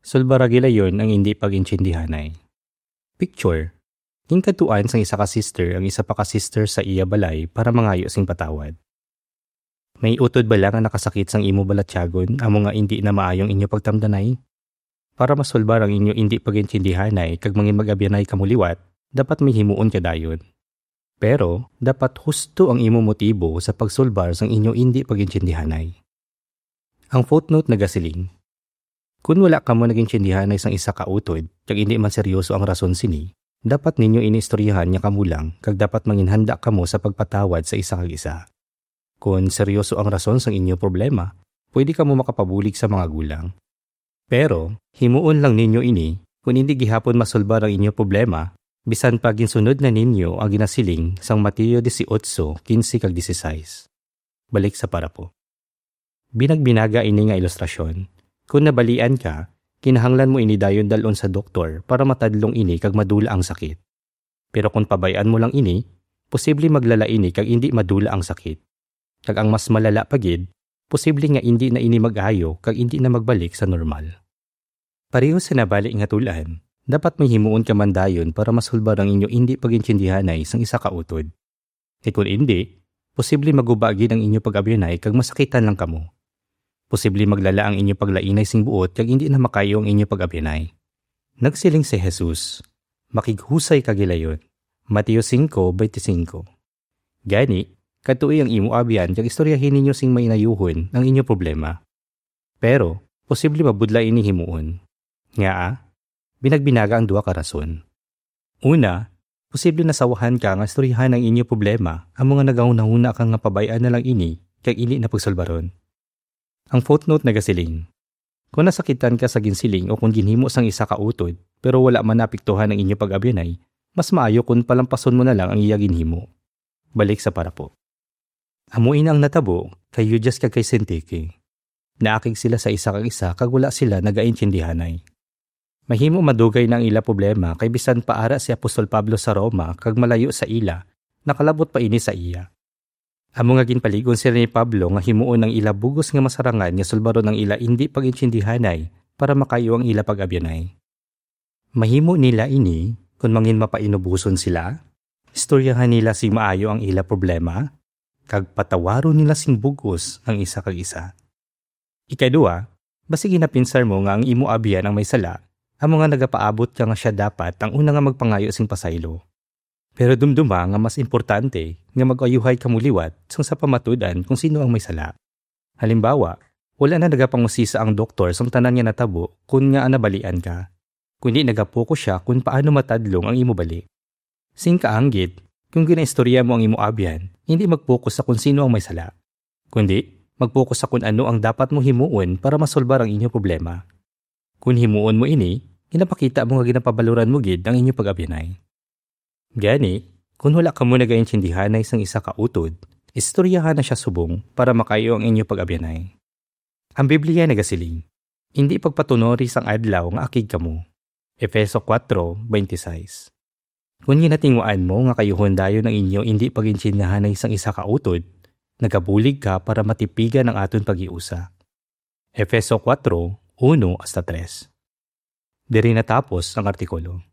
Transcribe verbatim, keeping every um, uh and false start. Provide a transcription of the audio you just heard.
Sulbara gilayon ang indi pag-intindihanay. Picture, ginkadtuan sang isa ka sister ang isa pa ka sister sa iya balay para mangayo sing patawad. May utod bala nga nakasakit sang imo balatyagon amo nga indi na maayo ang inyo pagtamdanay? Para masulbar ang inyo indi pag-intindihanay kag mangin mag-abyanay kamo liwat, dapat may himuon ka dayon. Pero dapat husto ang imo motibo sa pagsulbar sang inyo indi pag-intindihanay. Ang footnote nagasiling, "Kon wala kamo nag-intindihanay sang isa ka utod, kag indi man seryoso ang rason sini, dapat ninyo ini istoryahan nga kamo lang, kag dapat manginhanda kamo sa pagpatawad sa isa kag isa. Kon seryoso ang rason sang inyo problema, pwede kamo makapabulig sa mga gulang. Pero himuon lang ninyo ini kon indi gihapon masulbar ang inyo problema, bisan pa ginsunod na ninyo ang ginasiling sang Mateo dieciocho quince kag dieciséis." Balik sa parapo. Binagbinaga ini nga ilustrasyon. Kon nabalian ka, kinahanglan mo ini dayon dal-on sa doktor para matadlong ini kag madula ang sakit. Pero kon pabay-an mo lang ini, posible maglala ini kag indi madula ang sakit. Kag ang mas malala pa gid, posible nga indi na ini mag-ayo kag indi na magbalik sa normal. Pareho sa nabali nga tul-an, dapat may himuon ka man dayon para masulbar ang inyo indi pag-intindihanay sang isa ka utod. Kay kon indi, posible maguba gid ang inyo pag-abyanay kag masakitan lang kamo. Posible maglala ang inyo paglainay sing buot kag indi na makayo ang inyo pag-abyanay. Nagsiling si Jesus, "Makighusay ka gilayon." Mateo cinco veinticinco. Gani, kadtoi ang imo abyan kag istoryahi ninyo sing mainayuhon ang inyo problema. Pero posible mabudlay ini himuon. Ngaa? Binagbinaga ang duha ka rason. Una, posible nasawahan ka nga istoryahan ang inyo problema, amo nga nagahunahuna ka nga pabay-an na lang ini kag indi na pagsulbaron. Ang footnote nagasiling, "Kon nasakitan ka sa ginsiling o kon ginhimo sang isa ka utod, pero wala man naapektuhan ang inyo pag-abyanay, mas maayo kon palampason mo na lang ang iya ginhimo." Balik sa parapo. Amo ina ang natabo kay Judas kag kay Syntyche. Naakig sila sa isa kag isa kag wala sila nagaintindihanay. Mahimo madugay na ang ila problema kay bisan pa ara si Apostol Pablo sa Roma kag malayo sa ila, nakalabot pa ini sa iya. Amo nga ginpalig-on sila ni Pablo nga himuon ang ila bug-os nga masarangan nga sulbaron ang ila indi pag-intindihanay para makayo ang ila pag-abyanay. Mahimo nila ini kon mangin mapainuboson sila, istoryahan nila sing maayo ang ila problema, kag patawaron nila sing bug-os ang isa kag isa. Ikadua, basi ginapinsar mo nga ang imo abyan ang may sala, amo nga nagapaabot ka nga sia dapat ang una nga magpangayo sing pasaylo. Pero dumduma nga mas importante nga mag-ayuhay kamo liwat sang sa pamatud-an kon sino ang may sala. Halimbawa, wala na nagapangusisa ang doktor sang tanan nga natabo kon ngaa nabalian ka, kundi nagapokus sia kon paano matadlong ang imo bali. Sing kaanggid, kon ginaistorya mo ang imo abyan, hindi magpokus sa kon sino ang may sala, kundi magpokus sa kon ano ang dapat mo himuon para masolbar ang inyo problema. Kon himuon mo ini, ginapakita mo nga ginapabaloran mo gid ang inyo pag-abyanay. Gani, kon wala kamo nagaintindihanay sang isa ka utod, istoryahan na sia subong para makayo ang inyo pag-abyanay. Ang Biblia nagasiling, "Indi pagpatunori sang adlaw nga akig kamo." Efeso kuwatro veintiseis. Kon ginatinguan mo nga kayuhon dayon ang inyo indi pag-intindihanay sang isa ka utod, nagabulig ka para matipigan ang aton paghiusa. Efeso kuwatro, uno hasta tres. Diri natapos ang artikulo.